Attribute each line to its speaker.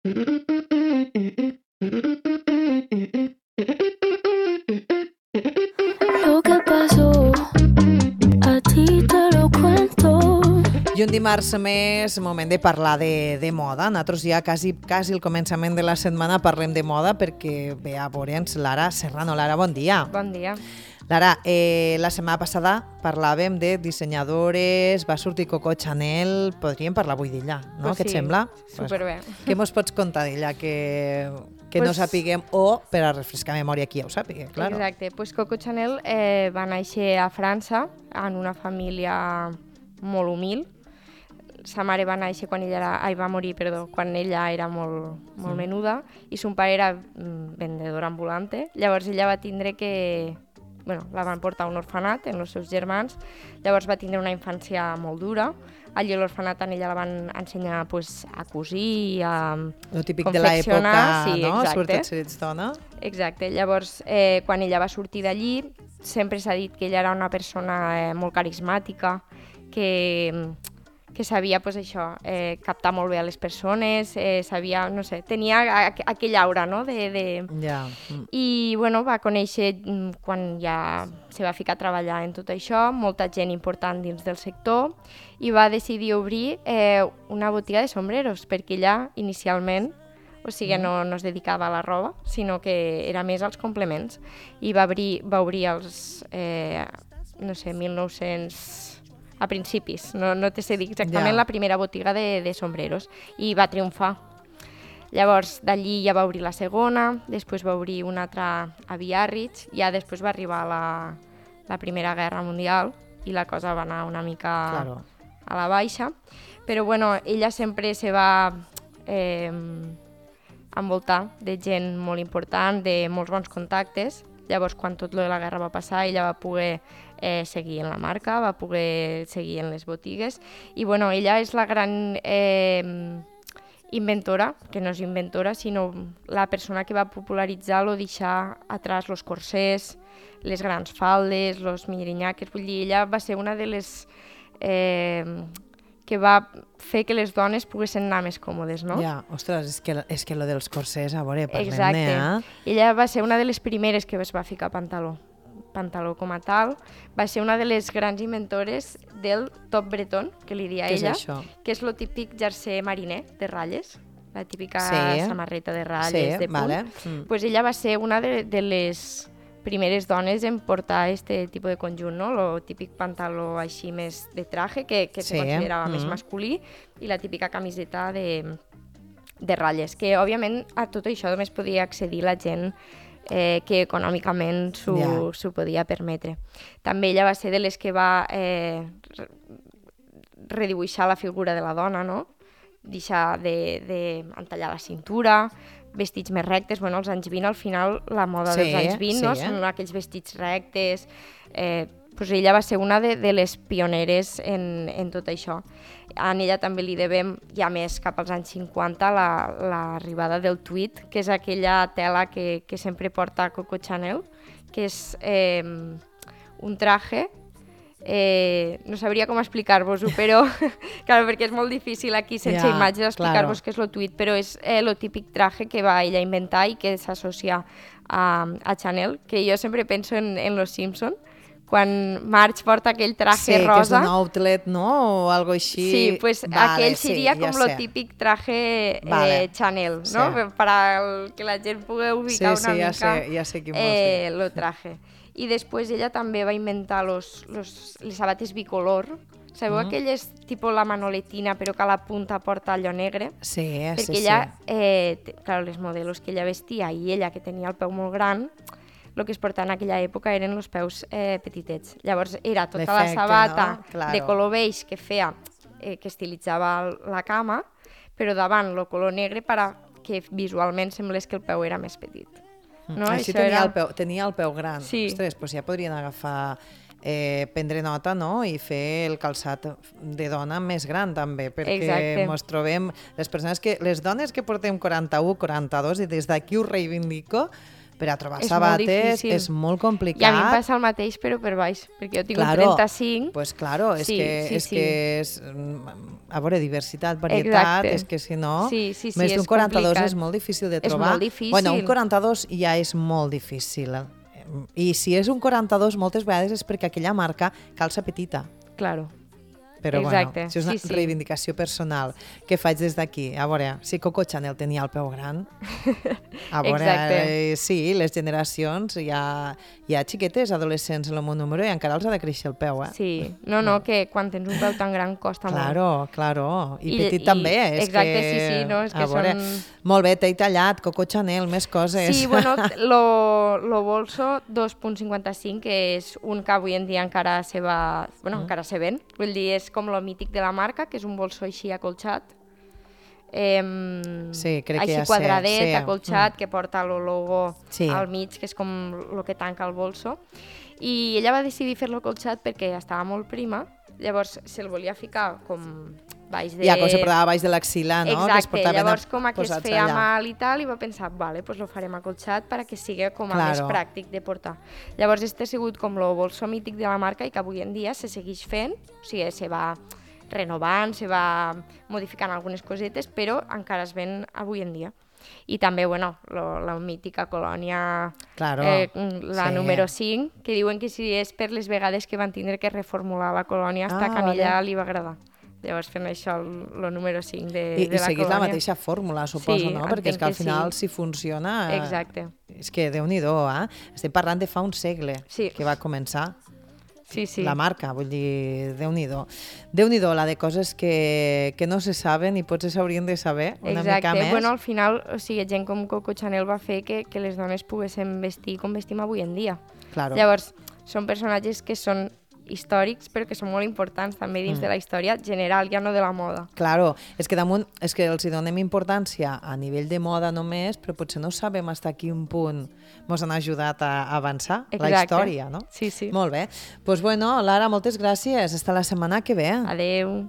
Speaker 1: Lo que pasó, a ti te lo cuento.
Speaker 2: I un dimarts més, moment de parlar de moda. Nosaltres ja quasi al començament de la setmana parlem de moda perquè ve a veure'ns Lara Serrano. Lara, bon dia.
Speaker 3: Bon dia.
Speaker 2: Lara, la setmana passada parlàvem de dissenyadores, va sortir Coco Chanel, podríem parlar avui d'ella, no?
Speaker 3: Pues
Speaker 2: Què et
Speaker 3: sí,
Speaker 2: sembla?
Speaker 3: superbé.
Speaker 2: Què mos pots contar d'ella que no sapiguem, o per a refrescar memòria qui ja ho sàpiga, claro.
Speaker 3: Exacte, pues Coco Chanel va néixer a França en una família molt humil. Sa mare va néixer quan va morir quan ella era molt menuda, i son pare era vendedor ambulante. Llavors ella va tindre que... la van portar a un orfenat amb els seus germans. Llavors va tindre una infància molt dura. Allí a l'orfenat a ella la van ensenyar a cosir i a
Speaker 2: Lo típic de
Speaker 3: confeccionar.
Speaker 2: l'època, no?
Speaker 3: Exacte.
Speaker 2: Sobretot si ets dona.
Speaker 3: Exacte. Llavors, quan ella va sortir d'allí, sempre s'ha dit que ella era una persona molt carismàtica, que sabia captar molt bé a les persones, sabia, no sé, tenia aquell aura, no?
Speaker 2: Ja.
Speaker 3: I, va conèixer, quan ja se va ficar a treballar en tot això, molta gent important dins del sector, i va decidir obrir una botiga de sombreros, perquè ella, inicialment, no es dedicava a la roba, sinó que era més als complements. I va obrir els, 1900... a principis, no te sé dir exactament, la primera botiga de sombreros, i va triomfar. Llavors, d'allí ja va obrir la segona, després va obrir una altra a Biarritz, ja després va arribar la Primera Guerra Mundial i la cosa va anar una mica a la baixa, però ella sempre se va envoltar de gent molt important, de molts bons contactes. Llavors, quan tot la guerra va passar, ella va poder seguir en la marca, va poder seguir en les botigues, i ella és la gran inventora, que no és inventora, sinó la persona que va popularitzar o deixar atrás els corsers, les grans faldes, els mirinyaques. Vull dir, ella va ser una de les que va fer que les dones poguessin anar més còmodes, no?
Speaker 2: Ja, ostres, és que lo dels corsers, a veure, parlem-ne,
Speaker 3: Exacte. Ella va ser una de les primeres que es va ficar pantaló com a tal. Va ser una de les grans inventores del top breton, que li dia ella, que és lo típic jersei mariner de ratlles, la típica samarreta de ratlles, de punt. Pues ella va ser una de les primeres dones en portar este tipus de conjunt, no? Lo típic pantaló així més de traje, que se considerava més masculí, i la típica camiseta de ratlles, que òbviament a tot això només podia accedir la gent que econòmicament s'ho podia permetre. També ella va ser de les que va redibuixar la figura de la dona, no? Deixar d'entallar la cintura, vestits més rectes. Als anys 20, al final, la moda dels anys 20, no? Són aquells vestits rectes. Ella va ser una de les pioneres en tot això. A ella també li devem, ja més cap als anys 50, l'arribada del tweed, que és aquella tela que sempre porta Coco Chanel, que és un traje, no sabria com explicar-vos-ho, però claro, perquè és molt difícil aquí sense imatges explicar-vos què és el tweed, però és el típic traje que va ella inventar i que s'associa a Chanel, que jo sempre penso en Los Simpson, quan Marge porta aquell traje rosa.
Speaker 2: Sí, que és un outlet, no? O algo així.
Speaker 3: Sí, pues aquell seria com lo típic traje Chanel, no? Per que la gent pugui ubicar una mica el traje. I després ella també va inventar les sabates bicolor. Sabeu aquelles tipus la manoletina, però que a la punta porta allò negre?
Speaker 2: Sí,
Speaker 3: perquè ella, clar, les modelos que ella vestia i ella, que tenia el peu molt gran, el que es portava en aquella època eren els peus petitets. Llavors era tota la sabata de color beix que feia, que estilitzava la cama, però davant el color negre perquè visualment semblés que el peu era més petit.
Speaker 2: Així tenia el peu gran. Ostres, doncs ja podrien agafar, prendre nota, no? I fer el calçat de dona més gran també, perquè ens trobem les dones que portem 41, 42, i des d'aquí ho reivindico, per a trobar sabates és molt complicat.
Speaker 3: I a mi em passa el mateix, però per baix, perquè jo tinc un 35.
Speaker 2: Pues claro, és que és... A veure, diversitat, varietat, és que si no... Més d'un 42 és molt difícil de trobar.
Speaker 3: És molt difícil.
Speaker 2: Bueno, un 42 ja és molt difícil. I si és un 42, moltes vegades és perquè aquella marca calça petita.
Speaker 1: Claro.
Speaker 2: Però bueno, si és una reivindicació personal que faig des d'aquí, a veure, si Coco Chanel tenia el peu gran, a veure, sí, les generacions, hi ha xiquetes, adolescents en el meu número i encara els ha de créixer el peu,
Speaker 3: Sí, no, que quan tens un peu tan gran costa molt.
Speaker 2: Claro, i petit també.
Speaker 3: Exacte, sí, no, és que són...
Speaker 2: Molt bé, t'he tallat, Coco Chanel, més coses.
Speaker 3: Sí, bueno, lo bolso 2.55, que és un que avui en dia encara se va... Bueno, encara se ven, vull dir, és com lo mític de la marca, que és un bolso així acolxat.
Speaker 2: Sí, crec que
Speaker 3: així
Speaker 2: ja
Speaker 3: quadradet, acolxat, que porta el logo al mig, que és com el que tanca el bolso. I ella va decidir fer-lo acolxat perquè estava molt prima, llavors se'l volia ficar com baix de...
Speaker 2: Ja, com se portava baix de l'axil·la, no?
Speaker 3: Exacte, llavors com que es feia mal i tal, i va pensar, vale, pues lo farem acolxat perquè sigui com a més pràctic de portar. Llavors este ha sigut com el bolso mític de la marca i que avui en dia se segueix fent, o sigui, se va renovant, se va modificant algunes cosetes, però encara es ven avui en dia. I també, bueno, la mítica colònia, la número 5, que diuen que si és per les vegades que van tindre que reformular la colònia, hasta que a ella li va agradar. Llavors fent això, el número 5 de la colònia.
Speaker 2: I seguís la mateixa fórmula, suposo, no? Perquè és que al final, si funciona...
Speaker 3: Exacte.
Speaker 2: És que Déu-n'hi-do, Estem parlant de fa un segle que va començar. La marca, vull dir, Déu-n'hi-do. Déu-n'hi-do, la de coses que no se saben i potser s'haurien de saber una mica més.
Speaker 3: Bueno, al final, o sigui, gent com Coco Chanel va fer que les dones poguéssim vestir com vestim avui en dia.
Speaker 2: Claro.
Speaker 3: Llavors, són personatges que són històrics, però que són molt importants també dins de la història general, ja no de la moda.
Speaker 2: Claro, és que damunt, és que els hi donem importància a nivell de moda només, però potser no sabem fins a quin punt ens han ajudat a avançar la història, no?
Speaker 3: Sí.
Speaker 2: Molt bé. Doncs bueno, Lara, moltes gràcies. Hasta la setmana que ve.
Speaker 3: Adeu.